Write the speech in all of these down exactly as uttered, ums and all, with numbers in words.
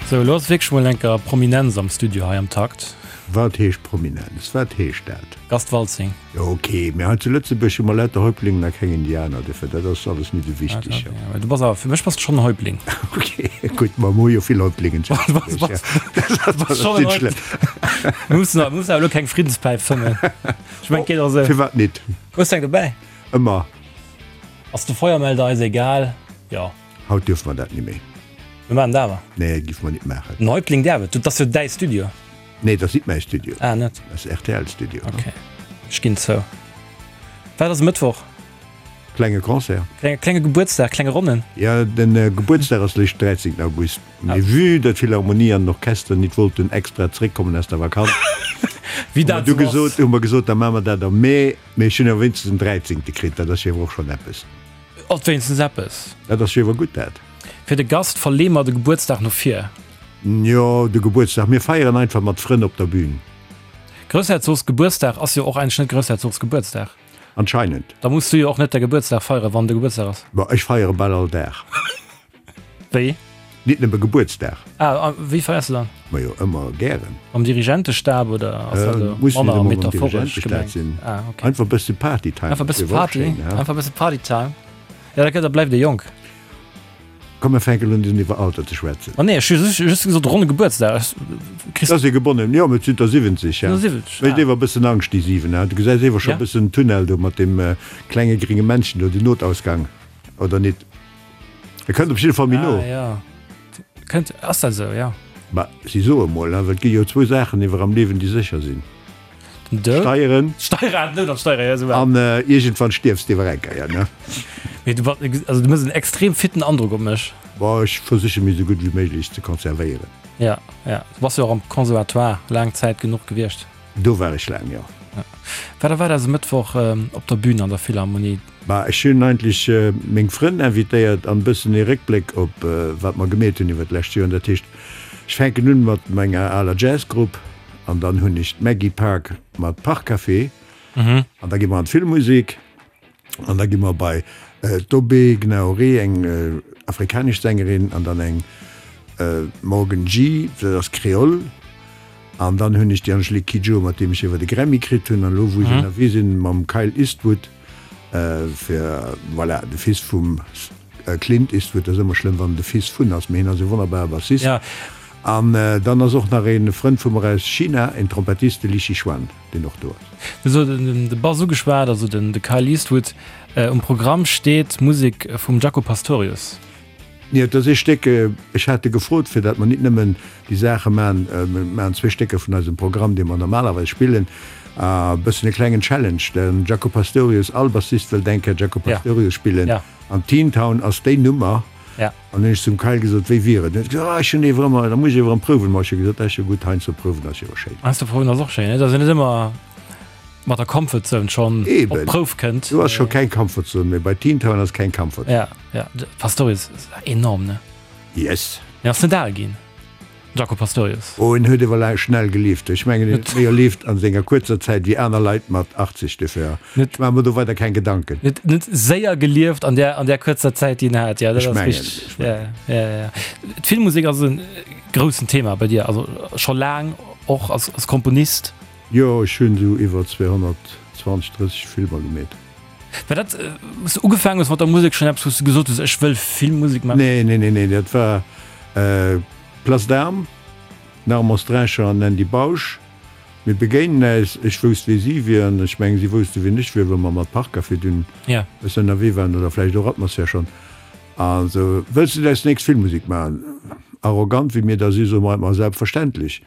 Sou, elo ass wierklech mol enker Prominenz am Studio hei am Takt. Wat heescht Prominenz? Wat heescht dat? Gast Waltzing. Jo, ok, mee hei zu Lëtzebuerg hu mer lauter Häuptlingen a keng Indianer, dofir dat ass alles nit esou wichteg. Ja, du bass awer, fir mech bass de schonn en Häuptling. Ok, gutt, ma mer hu jo vill Häuptlingen zu Lëtzebuerg, ja. Dat ass nit schlëmm. Mir mussen awer, mussen awer elo keng Friddenspäif fëmmen. Ech mengen, et geet och esou. Firwat nit? Hues de eng dobäi? Ëmmer. Ass de Feuermelder eis egal? Jo. Haut duerfe mer dat ni méi. Mir maachen dat awer. Nee, giff mer nit maachen. Den Häuptling däerf et. Dat ass jo däi Studio. Nee, dat ass nit mäi Studio. Ah, net? Dat ass R T L Studio. Ok, ech ginn zou. Wat ass e Mëttwoch? Klenge Concert. Klenge, klenge Gebuertsdag, klenge Ronnen. Ja, den Gebuertsdag ass lech dräizéngten August. Mee vue datt d'Philharmonie an den Orchester nit wollten extra zeréckkommen aus der Vakanz, Wéi hu mer dat du esou ass. gesot, hu mer gesot, da maache mer dat am Mee. Mee ech hunn awer wéinstens den dräizéngte kritt, dat ass jo awer och schonn eppes. Alt wéinstens eppes. Dat ass jo awer gutt, dat. Fir de Gast verleeë mer de Gebuertsdag no vir. Jo, de Gebuertsdag, mir feieren einfach mat Frënn op der Bühn. Groussherzogs Gebuertsdag ass jo och eigentlech net Groussherzogs Gebuertsdag. Anscheinend. Da muss du jo och net däi Gebuertsdag feieren, wann de Gebuertsdag ass. Bon, ech feiere bal all Dag. Wéi? Nit nëmme Gebuertsdag. Ah, a wéi feiers de dann? Majo, ëmmer gären. Mam Dirigentestab oder ass dat elo Muss nit manner ëmmer mam metaphoresch Dirigentestab gemengt? sinn. Ah, okay. Einfach e bësse Partytime Einfach e ass bësse jo och Party, schéin, ha? einfach e bësse Partytime. Ja, da gëtt, da bleift ee jonk. Komm mir fänken un iwwer Alter ze schwätzen. Ma nee, ech hu just gesot ronne Gebuertsdag. Ech kriss. Ass ee gebonnen? Jo, et sinn der siwwenzeg, ja. Mécht ewer e bëssen Angscht déi siwen, ha? Du gesäis ewer scho e bëssen den Tunnel do mat deem klenge gringe Männchen do, den Notausgang, oder nit? E kënnt op jidde Fall méi no. Ah jo, kënnt, ass dat esou, jo. Ma si soe mol, ha, well et gi jo zwou Saachen ewer am Liewen, déi sécher sinn. Den Doud. Steieren. Steieren, den Doud an d'Steieren, ja, esou war An iergendwann stierfs de ewer eng Kéier, ne? Mee du, also du mëss en extrem fitten Androck op mech. Bon, ech versiche mech esou gutt wéi méiglech ze konservéieren. Ja, ja. Du bass jo och am Conservatoire laang Zäit genuch gewiescht. Do war ech laang, jo. Ja. Wat erwaart eis e Mëttwoch op der Bühn an der Philharmonie? Bah, ech hunn eigentlech meng Frënn invitéiert an e bëssen ee Réckbléck op wat mer gemeet hunn iwwer d'lescht Joer. Dat heescht, ech fänken un mat menger aler Jazzgrupp an dann hunn ech d'Maggie Park mat Parkcafé an da gi mer an d'Filmmusek an da gi mer bei d'Obé Gnaoré, eng afrikanesch Sängerin an dann eng Morgan G, dat ass Kreol an dann hunn ech déi Angélique Kidjo, mat deem ech iwwer de Grammy kritt hunn an elo wou ech ënnerwee sinn mam Kyle Eastwood fir, voilà, de Fils vum Clint Eastwood, ass ëmmer schlëmm wann en de Fils vun ass, mee hien ass e wonnerbare Bassist. An dann ass och nach e Frënd vu mer aus China, en Trompettist, de Li Shixuan, deen och do ass. Du hues den Bass ugeschwat, also den de Kyle Eastwood. Um Programm steet Musek vum Jaco Pastorius. Jo, et ass ee Stéck, ech hat e gefrot, fir datt mer nit nëmmen déi Saache maachen, mer maachen zwee Stécker vun eisem Programm, dee mer normalerweis spillen, a bëssen e klengen Challenge, den Jaco Pastorius, all Bassist wëllt eng Kéier Jaco Pastorius spillen, an Teen Town ass déi Nummer. An hunn ech zum Kyle gesot, wéi wier et? En huet gesot, ah ech hunn ewer ëmmer, da muss ech ewer erëm prouwen. Ma ech hu gesot, dat ass jo gutt, heiansdo prouwen ass jo och schéin. Heiansdo prouwen ass och schéin, et ass jo net ëmmer mat der Comfort Zone schonn op Eben, d'Prouf kënnt. Do ass scho keng Comfort Zone méi, bei Teen Town ass keng Comfort Zone. Ja, ja, de Pastorius ass enorm, ne? Yes. Mee ass net al ginn. Jaco Pastorius. Oh, en huet ewer laang schnell gelieft. Ech mengen, en huet méi erlieft an senger kuerzer Zäit wéi aner Leit mat achtzeg. Dofir, ech maache mer do weider keng Gedanken. Huet net séier gelieft an där, an där kuerzer Zäit, déi en hat. Jo, dat Ech ass mengen, richteg. ech mengen. Ja, ja, ja. D'Filmmusek ass e groussen Thema bei dir, also scho laang, och als, als Komponist. Jo, ech hunn esou iwwer zweehonnertzwanzeg, drësseg Filmer gemeet. War dat, wou s de ugefaangen hues mat der Musek, schonn eppes, wou s de gesot hues, ech wëll Filmmusek maachen? Nee, nee, nee, nee, dat war Place d'Armes, den Armand Streicher an den Andy Bausch. Mir begéinen äis, ech wousst wee si wieren, ech mengen si wousste wien ech wier, well mer mat Parkcafé dunn e bëssen ënnerwee waren oder vläicht och Atmosphär schonn. A sou, Wëlls du net eis nächst Filmmusek maachen? Arrogant wéi mir da si soe mer, Ma selbstverständlech.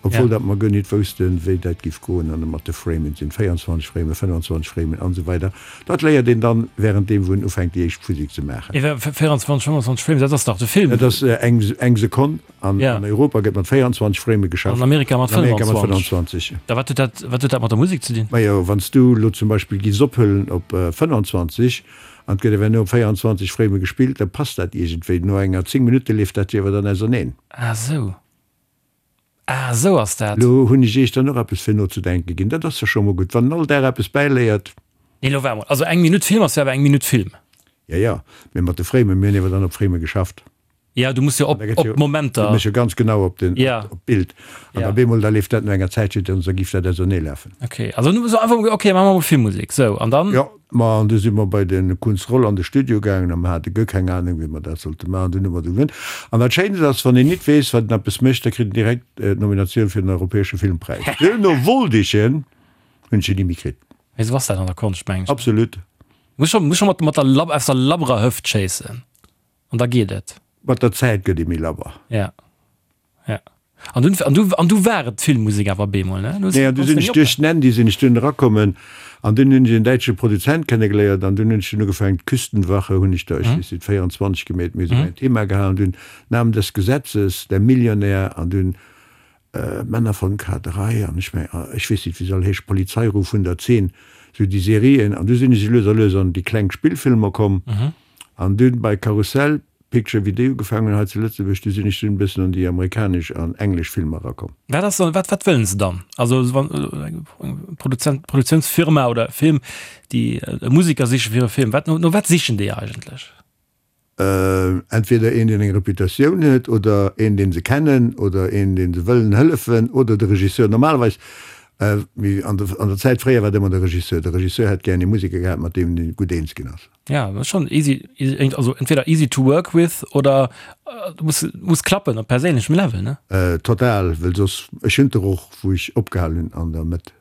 Obwuel dat mer guer nit woussten, wéi dat giff goen an mat de Framen, sinn véierundzwanzeg Framen, fënnwandzwanzeg Framen an esou weider. Dat léiert een dann während deem wou en ufänkt déi éischt Physik ze maachen. Iwwer véierundzwanzeg, fënnwandzwanzeg Frames, dat ass dach de Film. Dat ass eng eng Sekonn. An Ja. an Europa gëtt mat véierundzwanzeg Frame geschafft. An Amerika mat An Amerika mat fënnwandzwanzeg. fënnwandzwanzeg. Da wat huet dat wat huet dat mat der Musek ze dinn? Majo, wann s du elo zum Beispill giffs ophëllen op fënnwandzwanzeg an et gëtt ewell no op véierundzwanzeg Frame gespillt, da passt dat iergendwéi. No enger zéng Minutte leeft dat jo awer dann auserneen. Ah sou. Ah, esou ass dat. Lo hunn ech iech dann och eppes fir nozedenke ginn. Dat ass jo scho mol gutt, wann en all Dag eppes bäiléiert. Nee, lo waar mol. Also eng Minutt Film ass jo awer eng Minutt Film. Jo, jo, mee mat de Framen, mir hunn ewer dann op Frame geschafft. Ja, du muss jo op, op Momenter. Du muss jo ganz genau op den, ja. op d'Bild. An ja. op eemol, da leeft dat no enger Zäitchen, dann da giff dat ausernee lafen. Okay, also du so einfach, okay, maache mer mol Filmmusek, sou, an dann? Jo, ma an du si mer bei de Kunz Roll an de Studio gaangen a mer hate guer keng Ahnung, wéi mer dat sollte maachen. Dunn hu mer du gewunnt. An dat Schéinst ass, wann een nit weess, wat en eppes mécht, da kritt en direkt d'Nominatioun fir den Europäesche Filmpräis. Duerno wollt ech en, hunn ech en ni méi kritt. Mee sou ass dat an der Konscht, mengen ech. Absolut. Muss scho, muss scho mat, mat der Lab, aus der labberer Hëft schéissen an da geet et. Mat der Zäit gëtt ee méi labber. Ja. Ja. An dunn, an du, an du war et d'Filmmusek awer bemol, ne? Du Nee, an du sinn ech duerch den Andy sinn ech dunn erakommen an dunn hunn ech en däitsche Produzent kennegeléiert an dunn hunn ech dunn ugefaangen, d'Küstenwache hunn ech der, ech weess net, véierundzwanzeg gemeet, mee esou mäin Thema gehalen, dunn Namen des Gesetzes, Der Millionär an dunn Männer von K drei an ech meng, ech weess net wéi se all heeschen, Polizeiruf hundertzehn, esou déi Serien an du sinn ech lues a lues an déi kleng Spillfilmer komm an dunn bei Karussell Picture wéi déi ugefaangen hunn hei zu Lëtzebuerg, du sinn ech dunn e bëssen an déi amerikanesch an englesch Filmer erakomm. Wat ass dann, wat wat wëllen se dann? Also wann eng Produzent, Produktiounsfirma oder Film, déi e Musiker siche fir e Film, wat no no wat sichen déi eigentlech? Entweder een, deen eng Reputatioun huet, oder een, deen se kennen, oder een, deen se wëllen hëllefen, oder de Regisseur. Normalerweis, wéi an der an der Zäit fréier war et ëmmer de Regisseur. De Regisseur hätt gären ee Museker gehat, mat deem en gutt eens ginn ass. Ja, dat ass schonn easy, also entweder easy to work with oder et muss muss klappen op perséinlechem Level, ne? Total, well soss, ech hunn der och, wou ech opgehal hunn an der Mëtt.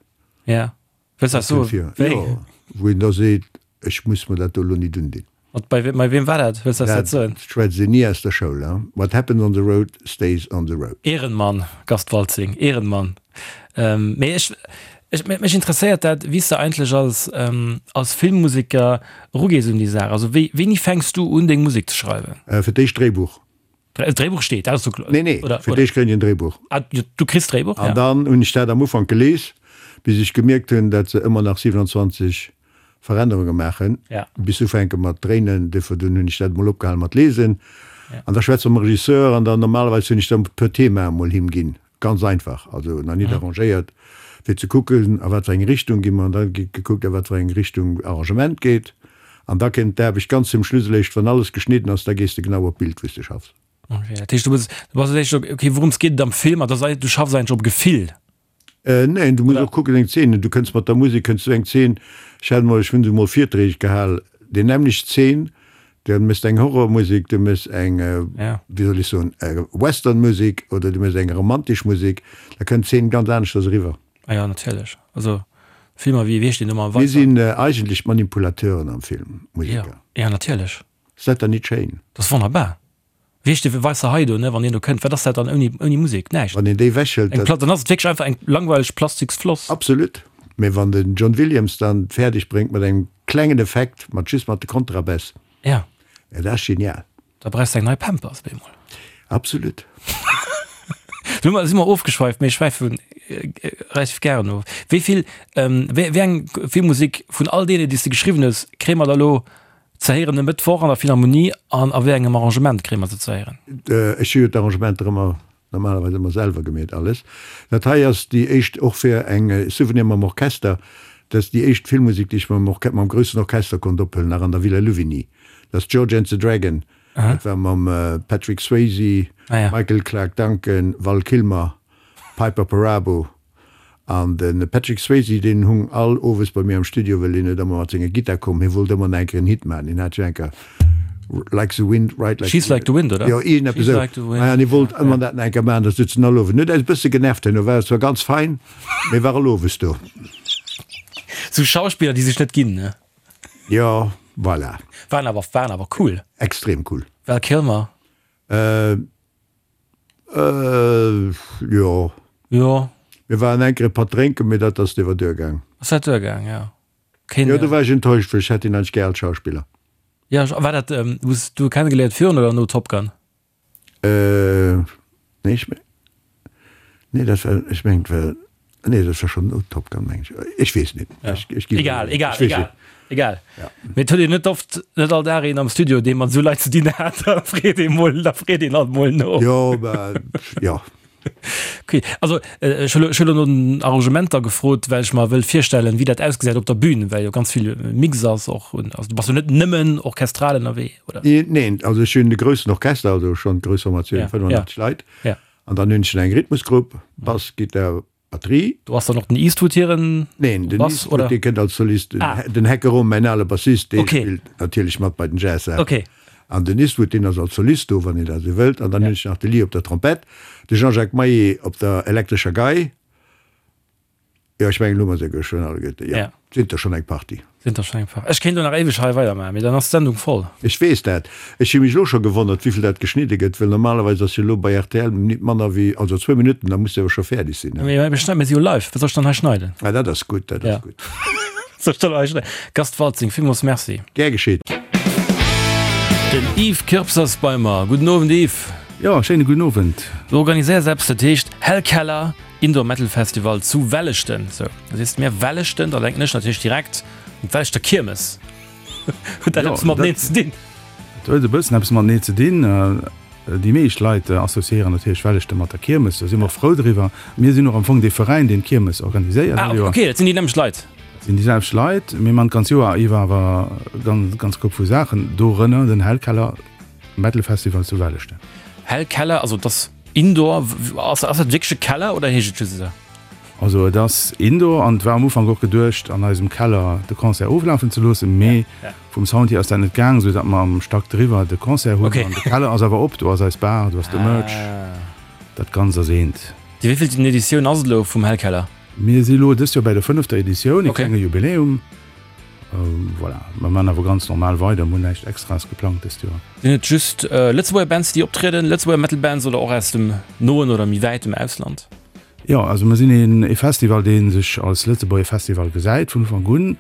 Ja, wëlls dat soen? Wéi? Jo, wou een da seet, ech muss mer dat do elo nit undinn. Mat bei bei wem war dat? Wëlls dat soen? Dat schwätzt een ni aus der Schoul, hein? What happens on the road stays on the road. Ehrenmann, Gast Waltzing, Ehrenmann. Ähm, mee ech, ech, mech interesséiert dat, wéi s de eigentlech als, ähm, als Filmmuseker erugees un déi Saach. Also wéi, wéini fänks du un deng Musek ze schreiwen? Äh, fir d'éischt Dréibuch. D'Dréibuch steet, dat ass jo kloer. Nee, nee, Oder, fir oder? d'éischt kréien ech en Dréibuch. Ah, du kriss d'Dréibuch, An ja. dann hunn ech dat am Ufank gelies, bis ech gemierkt hunn, dat se ëmmer nach siewenundzwanzeg Verännerunge maachen, ja. bis ufänke mat dréinen, duerfir dunn hunn ech dat emol opgehal mat lesen. Ja. An da schwätze mam Regisseur an dann normalerweis hunn ech dann e puer Themae mol him ginn, ganz einfach, also nach nit Mhm. arrangéiert, fir ze kucken, a wat fir eng Richtung gi mer, an da gétt gekuckt, a wat fir eng Richtung Arrangement geet. An da kënnt d'Aarbecht ganz zum Schluss eréischt, wann alles geschnidden ass, da gees de genau op d'Bild, wou s de schaffs. Okay, dat heescht, du bass, du bass eréischt, okay, wourëms geet et am Film, an da sei, du schaffs eigentlech op Gefill. Neen, du muss Oder? och kucken, eng Zeen, du kënns mat der Musek, kënns du eng Zeen, ech hat emol, ech hunn esou emol Virträg gehal, déi nämmlecht Zeen, du méchs eng Horrormusek, du méchs eng, Ja. wéi soll ech soen, Westernmusek oder du méchs eng romantesch Musek, da kënnt d'Zeen ganz aneschters eriwwer. Ah ja, natierlech. Also Filmer wéi, wéi heescht deen nochmal, Mir Weißer? sinn eigentlech d'Manipulateuren am Film, Ja, Museker. ja, natierlech. Ass dat dann nit schéin? Dat ass wonnerbar. Wéi heescht dee Weißer Hai do, ne, wann deen do kënnt, wat ass dat dann ouni, ouni Musek? Näischt. Wann een déi wechelt, Eng dat. Pla, dann ass et wierklech einfach eng langweileg plastiks Floss. Absolut. Mee wann den John Williams dann fäerdeg bréngt mat engem klengen Effekt, mat just mat de Kontrabäss, Ja. ja, dat ass genial. Da brauchs de eng nei Pampers bemol. Absolut. Lo ma si mer ofgeschweift, mee ech schwäife relativ gären of. Wéi vill, wéi, wéi eng Filmmusek vun all deene, déi s de geschriwwen hues, kréie mer da lo ze héieren e Mëttwoch an der Philharmonie an a wéi engem Arrangement kréie mer se ze héieren? Ech hu jo d'Arrangementer ëmmer, normalerweis ëmmer selwer gemeet alles. Dat hei ass déi éischt, och fir eng Souvenir mam Orchester, dat ass déi éischt Filmmusek, déi ech mam Orche-, mam groussen Orchester konnt ophuelen, nach an der Villa Louvigny. Dat ass George and the Dragon, dat war mam Patrick Swayze, Michael Clarke Duncan, Val Kilmer, Piper Perabo. An de Patrick Swayze, deen hung all owes bei mir am Studio, well deen huet ëmmer mat senger Gittar komm. Hie wollt ëmmer nach eng Kéier en Hit maachen. Hien hat jo eng Kéier Like the Wind, Ride Like She's the Like the Wind, oder? Jo, iergendeppes She's esou. Like the Wind. Ah, an hie wollt ëmmer dat nach eng Kéier maachen. Da sutz en all Owend. En huet eis e bësse genervt herno, war zwar ganz fein, mee war all owes do. Sou Schauspiller, déi sech net ginn, ne? Jo, voilà. Waren awer, waren awer cool. Extrem cool. Val Kilmer. Äh, äh, jo. Jo. Mir waren eng Kéier e Patt drénken, mee dat ass iwwer duer gaang. Ass dat duer gaang, jo. Keen. Jo, do war ech enttäuscht, well ech hätt hien eigentlech gär als Schauspiller. Ja, war dat, hues du e kennegeléiert virun oder no Top Gun? Äh, nee, ech, nee, dat war, ech mengen, et war, nee, dat war schonn no Top Gun, mengen ech. Ech weess net. Ja. Ech, ech ginn Egal, ech egal, weess egal, net. egal. Ja. Mee et huet een net oft, net all Dag een am Studio, dee mat esou Leit ze dinn hat, da freet ee mol, da freet een alt mol no. Jo, mä, jo. Okay, also ech hu elo no den Arrangementer gefrot, well ech mer wëll virstellen, wéi dat ausgesäit op der Bühn, well jo ganz vill Mix ass och. Also du bass jo net nëmmen orchestral ënnerwee, oder? Neen, also ech hunn e groussen Orchester, also schonn grouss Formatioun, fënnefundachtzeg Leit. An dann hunn ech nach eng Rhythmusgrupp, Bass, Gittar, Batterie. Do ass dann och den Eastwood hiren Neen, den Bass, Eastwood, oder? dee kënnt als Solist. Ah. Den Heckerom, mäin ale Bassist, dee Okay. spillt natierlech mat bei den Jazzsaachen. Okay. An den Eastwood, deen ass als Solist do, wann een dat esou wëllt. An dann hunn ech nach de Lee op der Trompett, de Jean-Jacques Maillet op der elektrescher Gei. Jo, ech mengen, elo hu mer se schonn alleguerte. Jo, Ja. sinn der schonn eng Partie. Sinn der schonn eng Partie. Ech kéint elo nach éiweg hei weidermaachen, mee dann ass d'Sendung voll. Ech weess dat. Ech hu mech elo scho gewonnert, wéivill dat geschnidde gëtt, well normalerweis ass jo elo bei rtl nit manner wéi, also zwou Minutten, da muss de awer scho fäerdeg sinn, ne? Mee mir schneiden, mir si jo live, wat soll ech dann hei schneiden? Ah, dat ass gutt, dat ass Ja. gutt. Wat soll ech dann hei schneiden? Gast Waltzing, villmools Merci. Gär geschitt. Den Yves Kirps ass bei mer. Gudden Owend, Yves. Jo, schéine gudden Owend. Du organiséiers eppes, dat heescht Hellkeller Indoor Metal Festival zu Welleschten. Sou, da sees de mir Welleschten, da denken ech natierlech direkt un d'Welleschter Kiermes. Huet dat Jo, eppes mateneen dat ze dinn? Dat huet e bëssen eppes mateneen ze dinn. Déi meescht Leit associéieren natierlech Welleschten mat der Kiermes, do si mer och frou driwwer. Mir sinn och am Fong dee Veräin, deen d'Kiermes organiséiert Ah, all Joer. ok, dat sinn déi nämmlecht Leit. Dat sinn déi selwecht Leit. Mir man d'ganz Joer iwwer awer ganz, ganz Koup vu Saachen, dorënner den Hellkeller Metal Festival zu Welleschten. Hellkeller, also et ass Indoor, ass ass dat wierklech e Keller oder heescht et just esou? Also et ass Indoor an et war am Ufank och geduecht an eisem Keller de Concert oflafen ze loossen, mee vum Sound hier ass dat net gaang, sou datt mer am Stack driwwer de Concert hunn. Okay. An de Keller ass awer op, do ass eis Bar, do ass de Merch, dat Ganzt ass eent. Déi wéivillten Editioun ass et elo vum Hellkeller? Mir si lo dëst Joer bäi der fënnefter Editioun, e Okay. klenge Jubiläum. Voilà, mer man awer ganz normal weider, mer hunn näischt Extraes geplangt dëst Joer. Sinn et just Lëtzebuerger Bands déi optrieden, Lëtzebuerger Metal Bands oder och aus dem noen oder méi wäitem Ausland? Jo, also mer sinn een e Festival dee sech als Lëtzebuerger Festival gesäit. Vun Ufank un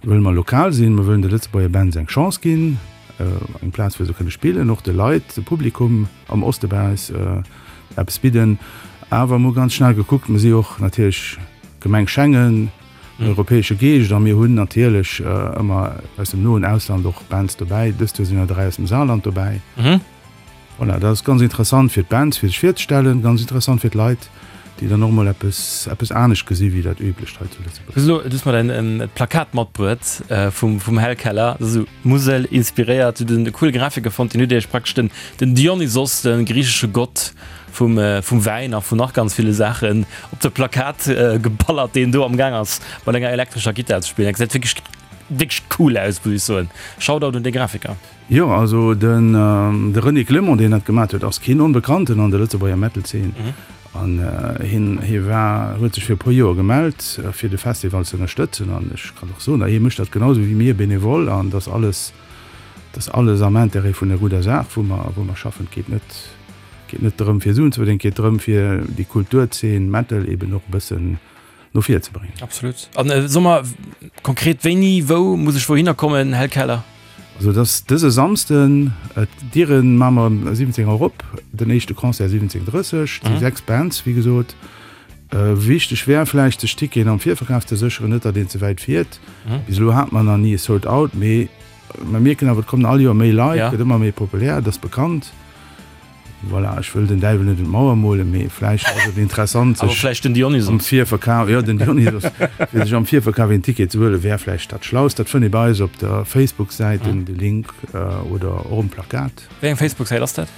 wëlle mer lokal sinn, mer wëllen de Lëtzebuerger Bands eng Chance ginn, eng Plaz wou se kënne spillen, och de Leit, de Publikum am Oste bei eis eppes bidden. Awer mer hu ganz schnell gekuckt, mer si och natierlech Gemeng Schengen, en europäesche Geescht a mir hunn natierlech ëmmer aus dem noen Ausland och Bands dobäi. Dëst Joer sinn der dräi aus dem Saarland dobäi. Voilà, dat ass ganz interessant fir d'Bands, fir sech virzestellen, ganz interessant fir d'Leit, déi dann och mol eppes, eppes anescht gesi wéi dat Üblecht hei zu Lëtzebuerg. Du hues elo, du hues mer däin Plakat matbruet vum, vum Hellkeller, dat ass esou Musel inspiréiert. Du hues en coole Grafiker fonnt, deen huet iech praktesch den, den Dionysos, de griichesche Gott, vum vum Wäin a vun nach ganz ville Saachen op de Plakat geballert, deen do am Gaang ass mat enger elektrescher Gittar ze spillen. Dat gesäit wierklech wierklech cool aus, muss ech soen. Shoutout un dee Grafiker. Jo, also den de René Clement, deen dat gemaat huet, ass keen Onbekannten an der Lëtzebuerger Metal-Zeen. An hien hie war huet sech fir e puer Joer gemellt, fir de Festival ze ënnerstëtzen. An ech kann och soen, hie mécht dat genau esou wéi mir, bénévol, an dat ass alles dat ass alles am Intérêt vun der gudder Saach, wou mer wou mer schaffen. Et geet net geet net drëm fir Suen ze verdéngen, et geet drëm fir déi Kulturzeen Metal eben och e bëssen no vir ze bréngen. Absolut. An so mer konkret wéini, wou muss ech wouhinner kommen, Här Keller? Also et ass dëse Samsden, d'Diere maache mer ëm siwwenzéng Auer op, den éischte Concert siwwenzéng drësseg, et si sechs Bands wéi gesot. Wichteg wär vläicht sech Ticketen am Virverkaf ze sécheren, net datt een ze wäit fiert. Bis elo hate mer nach ni e Sold Out, mee mer mierken awer et kommen all Joer méi Leit, gëtt ëmmer méi populär, et ass bekannt. Voilà, ech wëll den Däiwel net un d'Mauer molen, mee vläicht ass et interessant, Awer sech vläicht den Dionysos. am Virverkaf, jo, den Dionysos, fir sech am Virverkaf een Ticket ze huelen, wär vläicht dat Schlaust. Dat fënnt ee bei eis op der Facebook-Säit, den de Link, oder och um Plakat. Wéi eng Facebook-Säit ass dat?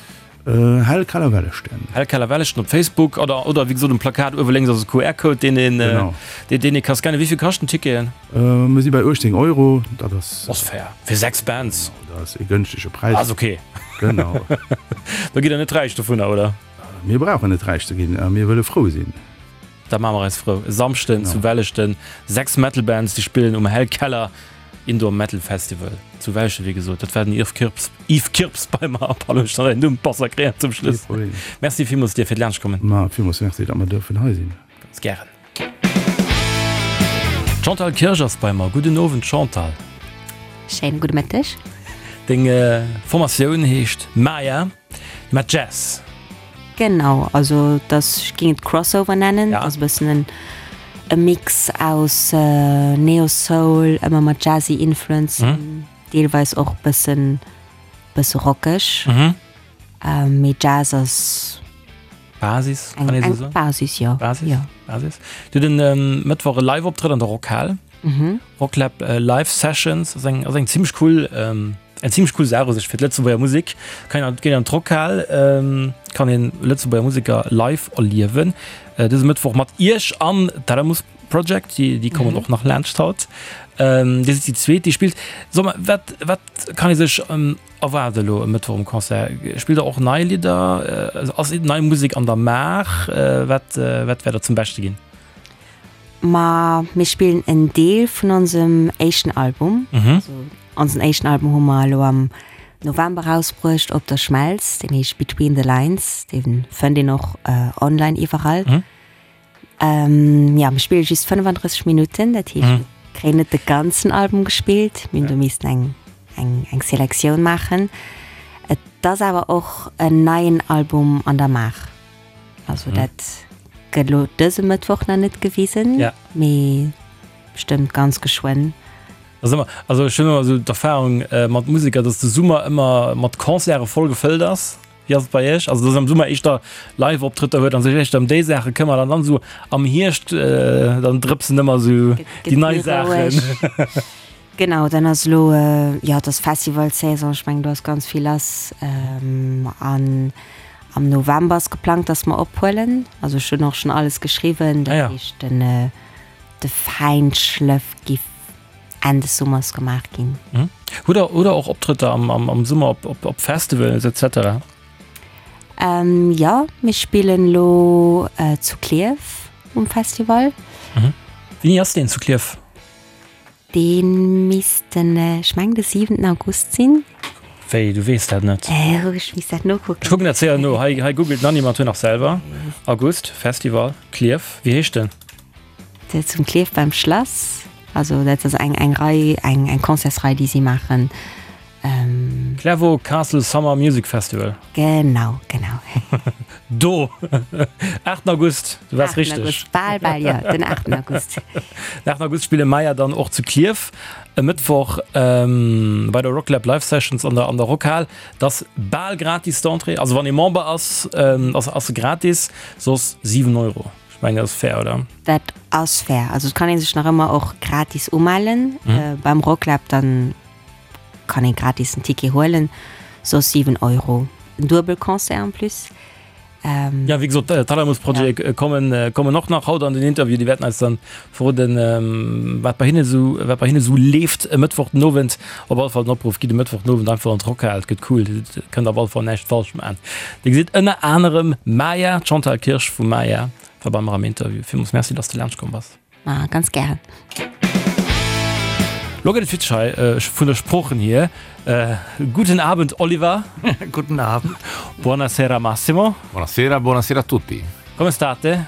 Hell Keller Welleschten. Hell Keller Welleschten op Facebook oder, oder wéi gesot um Plakat uewe lénks ass e Q R-Code, deen een, Genau. deen, deen ee ka scannen. Wéi vill kaschten d'Ticketen? Mir si bei uechtzéng Euro, dat ass. Ass fair fir sechs Bands. Genau, dat ass e gënschtege Präis. Ass ok. Genau. Da gitt der net räich dovunner, oder? Mir brauchen net räich ze ginn, mir wëlle frou sinn. Da maache mer eis frou. E Samschden zu Welleschten, sechs Metal Bands, déi spillen um Hellkeller Indoor Metal Festival zu Welleschten, wéi gesot. Dat war den Yves Kirps, Yves Kirps bei mer. Pardon, ech hat däin Numm massakréiert zum Schluss. Kee Problem. Merci villmools dir fir d'Laanschtkommen. Ma villmools merci, datt mer duerfen hei sinn. Ganz gären. D'Chantal Kirsch ass bei mer. Gudden Owend Chantal. Schéine gudde Mëtteg. Deng Formatioun heescht Maya mat Jazz. Genau, also et ass, ech géing et Crossover nennen, Ja. ass e bëssen en e Mix aus Neo-Soul, ëmmer mat jazzy Influenzen, deelweis och bëssen bësse rockeg. Mee Jazz ass Basis, Eng, kann ee eng sou soen? Basis, jo. Basis, Jo. Basis. Dir hutt en ähm, Mëttwoch e Live-Optrëtt an der Rockhal. Mhm. Rocklab äh, Live Sessions ass eng, ass eng zimmlech cool, ähm, eng zimmlech cool Saach u sech fir d'Lëtzebuerger Musek. Kann een, geet an d'Rockhal, ähm, kann een Lëtzebuerger Museker live erliewen. Äh, dëse Mëttwoch mat Iech an Thalamus Project, déi, déi kommen Mhm. och nach laanscht haut. Ähm, Dir sidd déi zweet, déi spillt. So mer, wat, wat kann ee sech ähm, erwaarde lo e Mëttwoch um Concert? Spillt der och nei Lidder? Äh, ass nei Musek an der Maach? Äh, wat, äh, wat wäert der zum Beschte ginn? Ma mir spillen en Deel vun onsem éischten Album. Mhm. Also, onsen éischten Album hu mer elo am November rausbruecht op der Schmelz, deen heescht Between the Lines, dee fënnt een och äh, online iwwerall. Mhm. Ähm, ja, mir spille just fënnefandrësseg Minutten, dat heescht, Mhm. mir kréien net de ganzen Album gespillt, mir hunn do missten eng, eng, eng Selektioun maachen. Et ass awer och en neien Album an der Maach. Also Mhm. dat gëtt lo dëse Mëttwoch nach net gewisen, Ja. mee bestëmmt ganz geschwënn. Also ëmmer, also ech hunn ëmmer esou d'Erfahrung äh, mat Museker, dass de Summer ëmmer mat Concerte voll gefëllt ass. Wéi ass et bei Iech? Also dass am Summer éischter Live-Optrëtter huet an sech éischter ëm déi Saache këmmert an dann esou am Hierscht äh, dann drëpsen ëmmer esou Gëtt, déi gëtt nei méi Saachen. roueg. Genau, dann ass lo äh, ja, dat ass Festivalsaison, ech mengen do ass ganz vill lass. Ähm, an am November ass geplangt, dass mer ophuelen. Also ech hunn och schonn alles geschriwwen, Ah dat ja. heescht den, äh, de Feinschlëff giff Enn des Summers gemaach ginn. Mhm. Hutt der, hutt der och Optrëtter am, am, am Summer op, op, op Festivals et cetera? Ähm, jo, mir spillen lo äh, zu Klierf um Festival. Mhm. Wéini ass deen zu Klierf? Dee misst den, äh, ech mengen de siwenten August sinn. Wéi, du weess dat net? Äh, ech misst dat nokucken. Ech kucken dat séier no. Hei, hei googelt d'Nanny mat nach selwer. August, Festival, Klierf. Wéi heescht den? Dat zum Klierf beim Schlass. Also dat ass eng, eng Rei, eng, eng Concertsrei, déi si maachen. Ähm, Clervaux Castle Summer Music Festival. Genau, genau. Do! aachten August, du waars aachten richteg. August, bal, bal, jo, den aachten August. Den aachten August spille Maya dann och zu Klierf. E Mëttwoch ähm, bei der Rocklab Live Sessions an der, an der Rockhal. Dat ass bal gratis d'Entrée. Also wann ee Member ass, ähm, ass, ass se gratis, soss siwen Euro. Ech mengen, dat ass fair, oder? Dat ass fair. Also et kann ee sech nach ëmmer och gratis umellen. Mhm. Äh, beim Rocklab dann kann een gratis en Ticket huelen, soss siwen Euro. En Duebelconcert en plus. Ähm, Ja, wéi gesot, äh, Thalamus Project ja. kommen, äh, kommen och nach haut an den Interview. Déi wäerten eis dann verroden, ähm, wat bei hinne sou, wat bei hinne sou leeft e Mëttwoch den Owend. Op alle Fall den Opruff, gitt e Mëttwoch den Owend einfach an d'Rockhal, et gëtt cool, Dir kënnt op alle Fall näischt falsch maachen. Dir gesitt ënner anerem Maya, d'Chantal Kirsch vu Maya war bei mer am Interview. Villmools Merci, dass du laanscht komm bass. Ah, ganz gären. Lo gëtt et witzeg hei, äh, vun der Sproochen hier. Äh, guten Abend, Oliver. Guten Abend. Buonasera, Massimo. Buonasera, buonasera a tutti. Come state?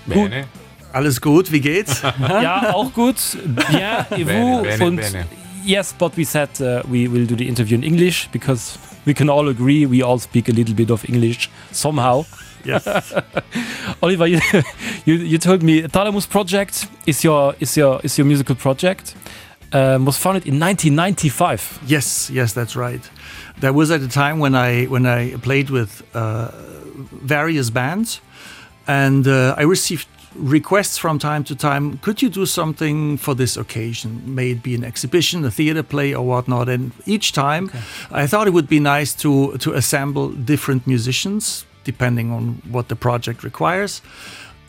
Bene. Alles gut, wie geht's? Ja, auch gut. Bien, et vous? Bene, bene, Und bene. yes, but we said uh, we will do the interview in English because we can all agree we all speak a little bit of English somehow. Yes. Oliver, you, you, you told me Thalamus Project is your is your is your musical project. Um, was founded in nineteen ninety-five. Yes, yes, that's right. That was at a time when I when I played with uh, various bands, and uh, I received requests from time to time. Could you do something for this occasion? May it be an exhibition, a theater play, or whatnot. And each time, okay. I thought it would be nice to to assemble different musicians depending on what the project requires.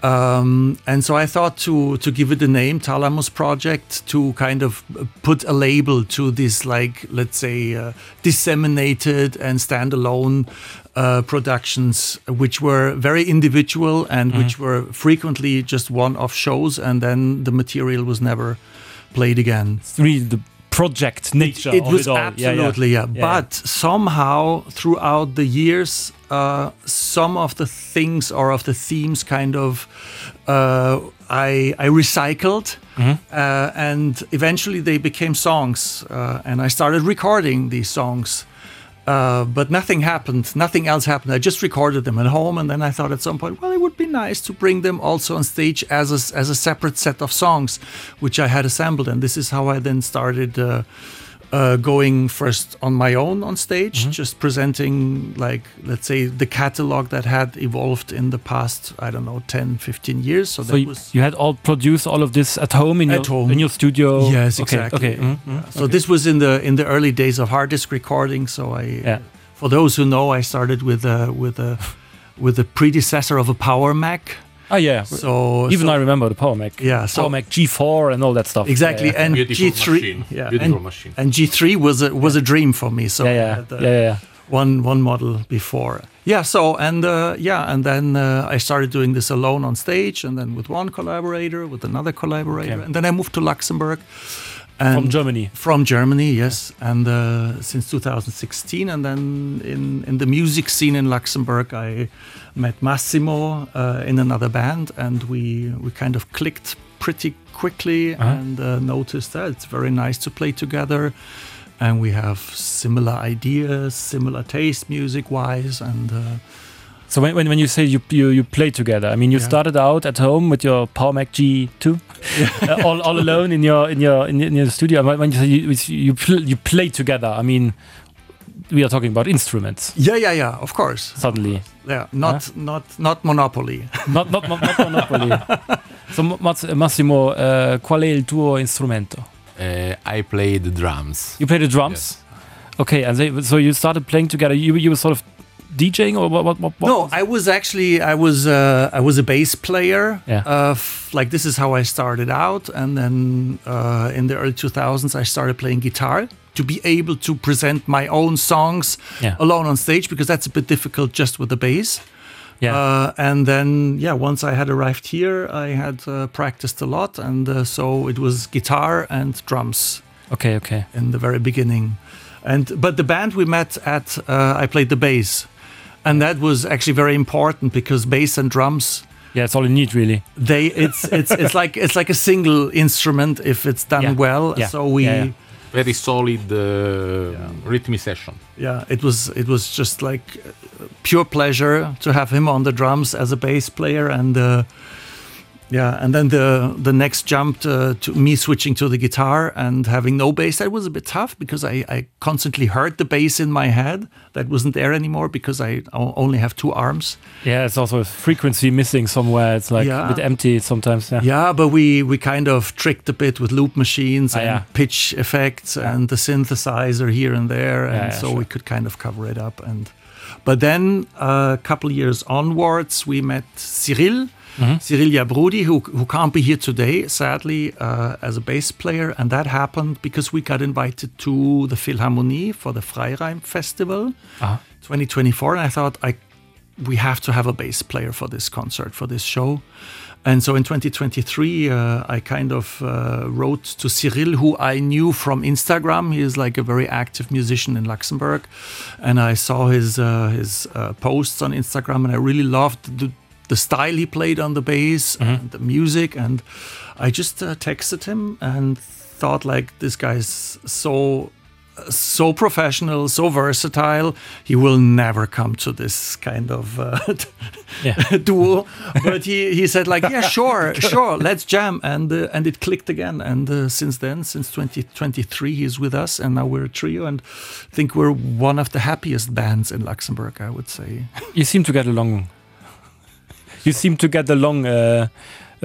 Um, and so I thought to to give it a name, Thalamus Project, to kind of put a label to this, like let's say, uh, disseminated and standalone uh, productions, which were very individual and mm. which were frequently just one-off shows, and then the material was never played again. It's really the project nature. It, it of was it all. Absolutely, yeah, yeah. yeah. But somehow throughout the years, uh, some of the things or of the themes kind of uh, I, I recycled mm -hmm. uh, and eventually they became songs uh, and I started recording these songs. Uh, but nothing happened, nothing else happened. I just recorded them at home, and then I thought at some point, well, it would be nice to bring them also on stage as a, as a separate set of songs, which I had assembled. And this is how I then started uh, uh, going first on my own on stage, mm Mm-hmm. -hmm. just presenting like let's say the catalog that had evolved in the past, I don't know, ten, fifteen years. So, So that you, was you had all produced all of this at home in At your home. in your studio. Yes, okay, exactly. Okay. Mm -hmm. So this was in the in the early days of hard disk recording. So I Yeah. for those who know, I started with a with a with the predecessor of a Power Mac. Ah yeah. So Even so, I remember the Power Mac. Yeah, so- Power Mac G four and all that stuff. Exactly, Yeah, yeah. and Beautiful G three machine. yeah, Beautiful and, machine. and G three was a was a dream for me. So yeah, I yeah, had the yeah, yeah. one one model before. Yeah, so and uh, yeah, and then uh, I started doing this alone on stage, and then with one collaborator, with another collaborator, Okay. and then I moved to Luxembourg. And From Germany. From Germany, yes, and uh, since two thousand sixteen, and then in, in the music scene in Luxembourg, I met Massimo, uh, in another band, and we, we kind of clicked pretty quickly Uh-huh. and, uh, noticed that it's very nice to play together, and we have similar ideas, similar taste music-wise, and. Uh, So when, when, when you say you, you, you play together, I mean you Yeah. started out at home with your Power Mac G two, uh, all, all alone in your in your in, your studio. And when you say you you, pl you play together, I mean we are talking about instruments. Yeah, yeah, yeah. Of course. Suddenly. Yeah, not Huh? not, not Monopoly. Not, not, not Monopoly. So Massimo, uh, qual è il tuo strumento? Uh, I play the drums. You play the drums? Yes. Okay, and they, so you started playing together. You, you were sort of DJing or what? What? What? what No, I was actually I was, uh, I was a bass player. Yeah. Uh, f-, like this is how I started out, and then, uh, in the early two thousands I started playing guitar to be able to present my own songs Yeah. alone on stage, because that's a bit difficult just with the bass. Yeah. Uh, and then, yeah, once I had arrived here, I had, uh, practiced a lot, and, uh, so it was guitar and drums. Okay, okay. In the very beginning. And but the band we met at, uh, I played the bass. And that was actually very important, because bass and drums, Yeah, it's all you need, really. They, it's, it's, it's like, it's like a single instrument if it's done Yeah. well. Yeah. So we Yeah, yeah. Very solid, uh, Yeah. rhythm session. Yeah, it was, it was just like pure pleasure to have him on the drums as a bass player, and, uh, yeah, and then the, the next jump to, to me switching to the guitar and having no bass, that was a bit tough, because I, I constantly heard the bass in my head. That wasn't there anymore, because I o-, only have two arms. Yeah, it's also a frequency missing somewhere. It's like Yeah. a bit empty sometimes. Yeah, Yeah, but we, we kind of tricked a bit with loop machines Ah, and yeah. pitch effects and the synthesizer here and there, and Yeah, yeah, so sure. we could kind of cover it up. And but then a couple years onwards, we met Cyril. Mm-hmm. Cyril Yabroudi, who, who can't be here today, sadly, uh, as a bass player. And that happened because we got invited to the Philharmonie for the Freiraim Festival Uh-huh. twenty twenty-four. And I thought, I, we have to have a bass player for this concert, for this show. And so in twenty twenty-three, uh, I kind of, uh, wrote to Cyril, who I knew from Instagram. He is like a very active musician in Luxembourg. And I saw his, uh, his, uh, posts on Instagram, and I really loved the, the style he played on the bass Mm-hmm. and the music. And I just, uh, texted him and thought, like, this guy's so, so professional, so versatile. He will never come to this kind of, uh, Yeah. duo. But he, he said, like, yeah, sure, sure, let's jam. And, uh, and it clicked again. And, uh, since then, since twenty twenty-three, he's with us. And now we're a trio. And I think we're one of the happiest bands in Luxembourg, I would say. You seem to get along. You seem to get along. Euh,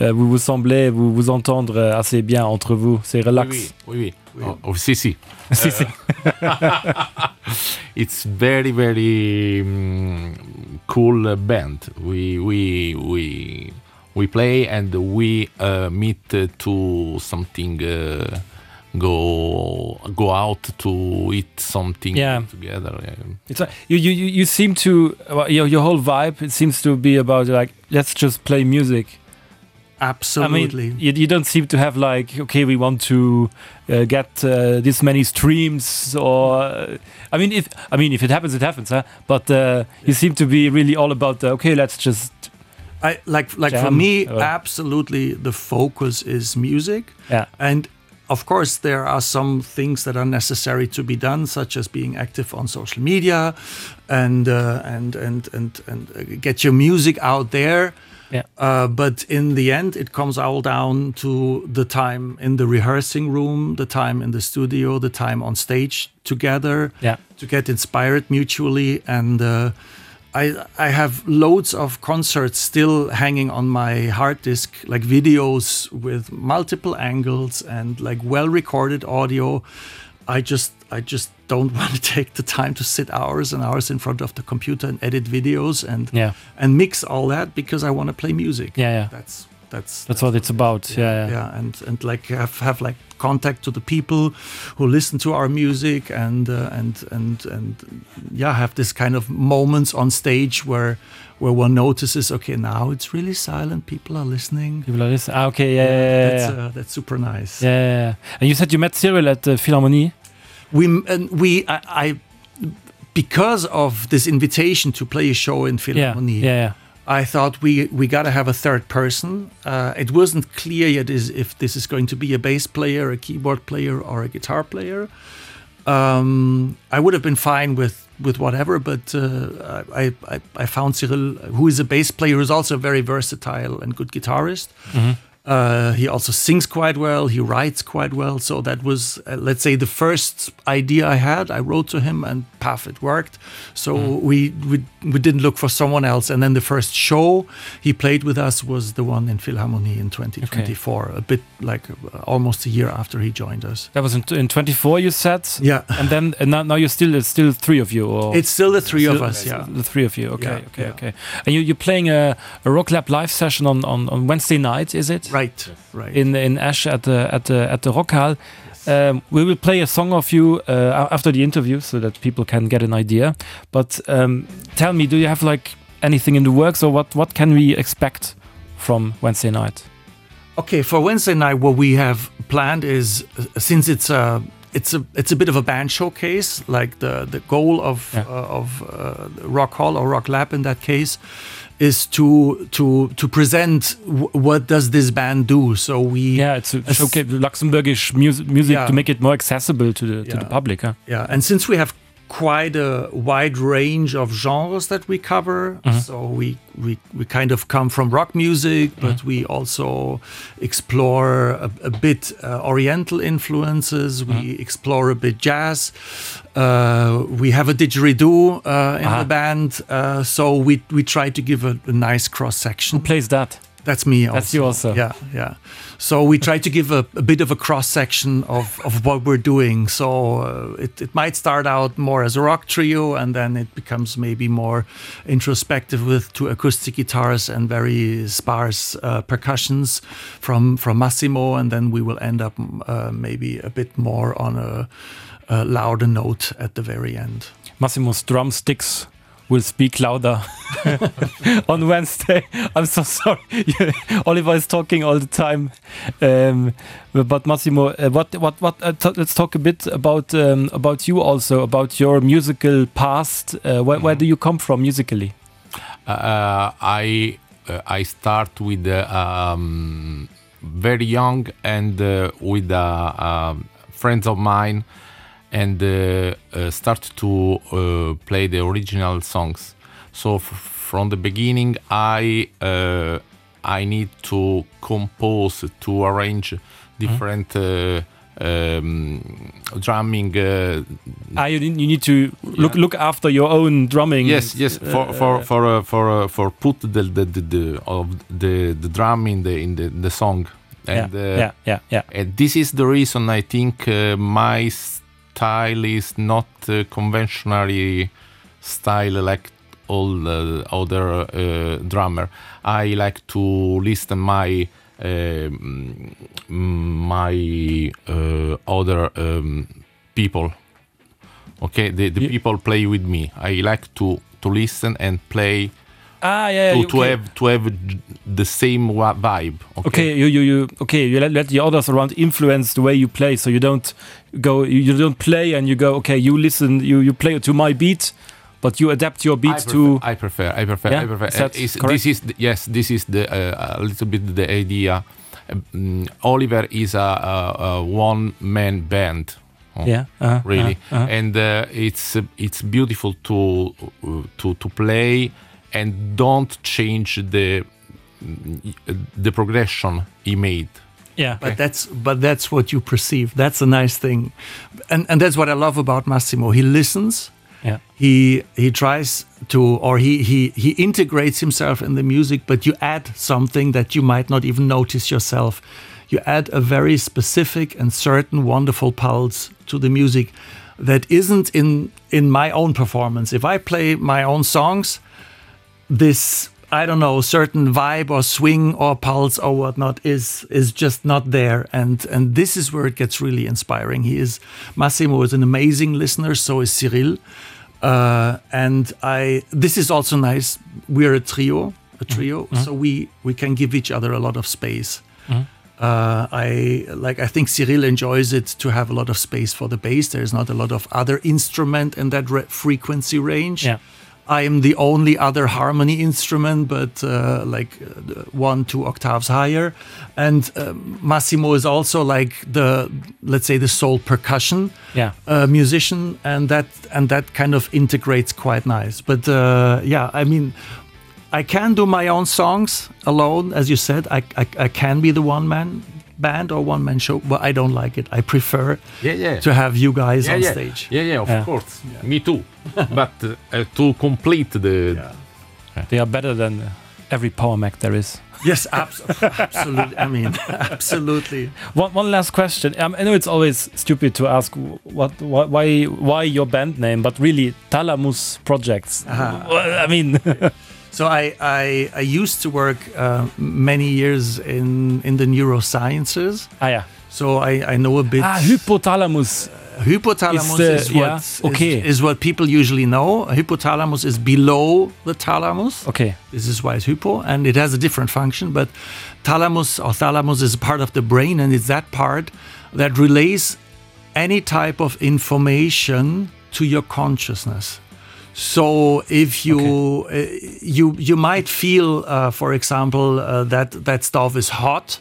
euh, vous vous semblez vous, vous entendre assez bien entre vous. C'est relax. Oui, oui, oui. Oh, oh, sì, sì. Si, si. It's very, very, um, cool band. We, we, we, we play and we, uh, meet, uh, to something. Uh, go, go out to eat something Yeah. together. Yeah. It's like, you, you, you, you seem to, well, your, your whole vibe, it seems to be about like, let's just play music. Absolutely. I mean, you, you don't seem to have like, okay, we want to, uh, get, uh, this many streams or, uh, I mean, if, I mean, if it happens, it happens, huh? But, uh, you seem to be really all about the, okay, let's just I like, like for jam, me, or absolutely the focus is music. Yeah. And of course, there are some things that are necessary to be done, such as being active on social media and, uh, and, and, and, and, uh, get your music out there. Yeah. Uh, but in the end, it comes all down to the time in the rehearsing room, the time in the studio, the time on stage together yeah. to get inspired mutually. And uh, I, I have loads of concerts still hanging on my hard disk, like videos with multiple angles and like well recorded audio. I just I just don't want to take the time to sit hours and hours in front of the computer and edit videos and yeah. and mix all that because I want to play music. Yeah, yeah. That's that's that's, that's what it's about. Yeah, yeah, yeah. yeah and and like have have like contact to the people who listen to our music and uh, and and and yeah have this kind of moments on stage where where one notices okay now it's really silent people are listening people are listening ah, okay yeah, yeah, yeah, that's, yeah. Uh, that's super nice yeah, yeah, yeah. and you said you met Cyril at the Philharmonie we and we I, I because of this invitation to play a show in Philharmonie yeah, yeah, yeah. I thought we we got to have a third person. Uh, it wasn't clear yet is if this is going to be a bass player, a keyboard player or a guitar player. Um, I would have been fine with with whatever, but uh, I, I, I found Cyril, who is a bass player, who's also very versatile and good guitarist. Mm -hmm. Uh, he also sings quite well, he writes quite well. So that was, uh, let's say, the first idea I had. I wrote to him and paf, it worked. So mm. we, we, we didn't look for someone else. And then the first show he played with us was the one in Philharmonie in twenty twenty four, okay. a bit like uh, almost a year after he joined us. That was in, in twenty four you said? Yeah. And then and now, now you're still it's still three of you or it's still the three still, of us, yeah. The three of you. Okay, yeah, okay, yeah. okay. And you, you're playing a, a Rocklab live session on, on, on Wednesday night, is it? Right, right. In in Esch at the at the at the Rockhal. Yes. Um, we will play a song of you uh, after the interview so that people can get an idea. But um, tell me, do you have like anything in the works or what what can we expect from Wednesday night? Okay, for Wednesday night, what we have planned is uh, since it's a it's a it's a bit of a band showcase, like the the goal of yeah. uh, of uh, Rock Hall or Rock Lab in that case is to to to present what does this band do so we yeah it's a showcase Luxembourgish music music yeah. to make it more accessible to the yeah. to the public huh? yeah and since we have quite a wide range of genres that we cover mm -hmm. so we we we kind of come from rock music but mm -hmm. we also explore a, a bit uh, oriental influences Mm-hmm. mm -hmm. we explore a bit jazz uh, we have a didgeridoo uh, in Aha. the band uh, so we we try to give a, a nice cross section Who plays that That's me also. That's you also. Yeah, yeah. So we try to give a, a bit of a cross section of, of what we're doing. So uh, it, it might start out more as a rock trio and then it becomes maybe more introspective with two acoustic guitars and very sparse uh, percussions from, from Massimo. And then we will end up uh, maybe a bit more on a, a louder note at the very end. Massimo's drumsticks will speak louder on Wednesday. I'm so sorry. Oliver is talking all the time. Um, but Massimo, uh, what what what uh, let's talk a bit about um, about you also, about your musical past. Uh, where, where do you come from musically? Uh, I uh, I start with uh, um, very young and uh, with uh, um, friends of mine and uh, uh, start to uh, play the original songs. So from the beginning I uh, I need to compose to arrange different mm -hmm. uh, um, drumming uh, ah, you, you need to look yeah. look after your own drumming yes yes for for for uh, for uh, for put the the, the, the of the the drum in the in the, the song and yeah, uh, yeah yeah yeah and this is the reason I think uh, my style is not uh, conventionally style like all the other uh, drummer. I like to listen my uh, my uh, other um, people. Okay, the, the Yeah. people play with me. I like to to listen and play Ah yeah, to, you- to okay. have to have j- the same wa- vibe. Okay. Okay, you you you okay, you let, let the others around influence the way you play so you don't go you, you don't play and you go okay, you listen you you play to my beat but you adapt your I beat prefer, to I prefer I prefer Yeah? I prefer Is that Uh, is- correct? this is the, yes this is the uh, a little bit the idea um, Oliver is a, a, a one man band oh, yeah, uh-huh, really uh-huh, uh-huh. and uh, it's uh, it's beautiful to uh, to to play and don't change the the progression he made. Yeah. But that's but that's what you perceive. That's a nice thing. And and that's what I love about Massimo. He listens. Yeah. He he tries to or he he he integrates himself in the music, but you add something that you might not even notice yourself. You add a very specific and certain wonderful pulse to the music that isn't in in my own performance. If I play my own songs, this I don't know certain vibe or swing or pulse or whatnot is is just not there and and this is where it gets really inspiring he is Massimo is an amazing listener so is Cyril uh, and I this is also nice we're a trio a trio mm -hmm. so we we can give each other a lot of space mm -hmm. uh, I like I think Cyril enjoys it to have a lot of space for the bass there's not a lot of other instrument in that re frequency range yeah. I am the only other harmony instrument, but uh, like uh, one, two octaves higher. And uh, Massimo is also like the, let's say, the sole percussion yeah. uh, musician, and that and that kind of integrates quite nice. But uh, yeah, I mean, I can do my own songs alone, as you said. I, I, I can be the one man band or one man show, but I don't like it. I prefer yeah, yeah. to have you guys yeah, on yeah. stage. Yeah, yeah, of Yeah. course. Me too. But uh, to complete the Yeah. They are better than every Power Mac there is. Yes, abs absolutely. I mean, absolutely. One, one last question. Um, I know it's always stupid to ask what, wh why why your band name, but really Thalamus Projects. Well, I mean, So I, I, I used to work uh, many years in, in the neurosciences. ah yeah. So I, I know a bit. Ah, hypothalamus. Hypothalamus Is the- is, what, yeah, okay. is, is what people usually know. Hypothalamus is below the thalamus. Okay. This is why it's hypo, and it has a different function. But thalamus or thalamus is part of the brain, and it's that part that relays any type of information to your consciousness. So if you uh, you you might feel, uh, for example, uh, that that stove is hot,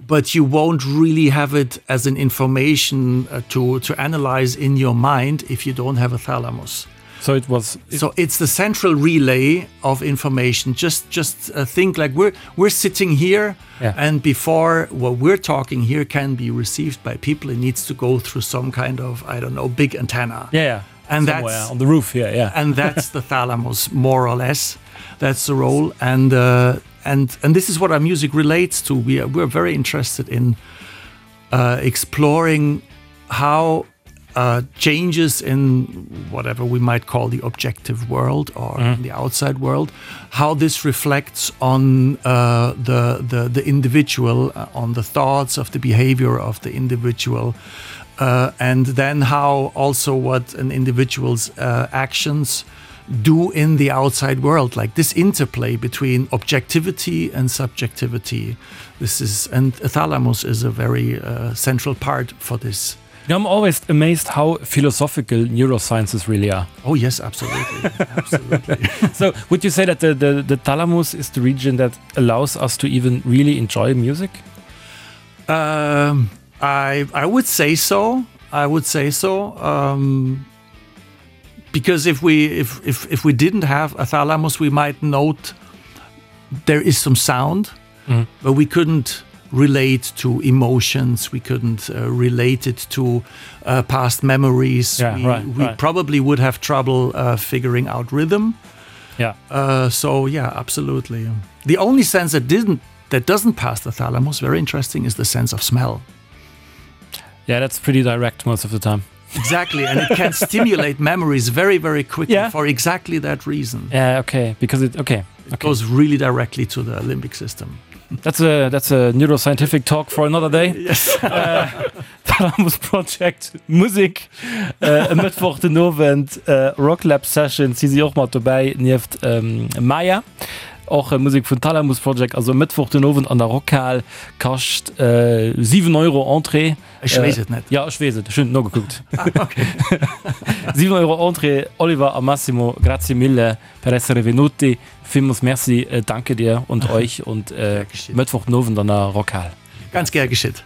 but you won't really have it as an information uh, to to analyze in your mind if you don't have a thalamus. So it was. So it's the central relay of information. Just just uh, think like we're we're sitting here, Yeah. and before what we're talking here can be received by people, it needs to go through some kind of I don't know big antenna. Yeah, yeah. And Somewhere that's on the roof here. Yeah. and that's the thalamus more or less. That's the role, and uh, and and this is what our music relates to. We are we're very interested in uh, exploring how uh, changes in whatever we might call the objective world or the outside world, how this reflects on uh, the, the the individual, uh, on the thoughts of the behavior of the individual, uh, and then how also what an individual's uh, actions do in the outside world, like this interplay between objectivity and subjectivity. This is, and thalamus is a very uh, central part for this. You know, I'm always amazed how philosophical neurosciences really are. Oh yes, absolutely, absolutely. So would you say that the, the, the thalamus is the region that allows us to even really enjoy music? Um, I I would say so. I would say so. Um, because if we if, if if we didn't have a thalamus, we might note there is some sound, Mm. but we couldn't relate to emotions. We couldn't uh, relate it to uh, past memories. Yeah, we right, we right. probably would have trouble uh, figuring out rhythm. Yeah. Uh, so yeah, absolutely. The only sense that didn't that doesn't pass the thalamus, very interesting, is the sense of smell. Yeah, that's pretty direct most of the time. Exactly, and it can stimulate memories very, very quickly Yeah. for exactly that reason. Yeah, okay, because it okay. It Okay. goes really directly to the limbic system. That's a that's a neuroscientific talk for another day. Yes. Äh, Thalamus Project Musik äh, e Mëttwoch den Owend äh, Rocklab Sessions si si och mat dobäi nieft ähm, Maya. Och äh, Musik vun Thalamus Project also Mëttwoch den Owend an der Rockhal kascht äh, siwen Euro Entrée. Ech weess et net. Ja ech weess et, ech hunn nogekuckt. Ah, okay. Siwen Euro Entrée Oliver a Massimo grazie mille per essere venuti. Villmools Merci äh, danke dir und euch und äh, Gär geschieht. Mëttwoch den Owend an der Rockhal. Ganz gär geschitt.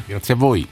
Grazie a voi.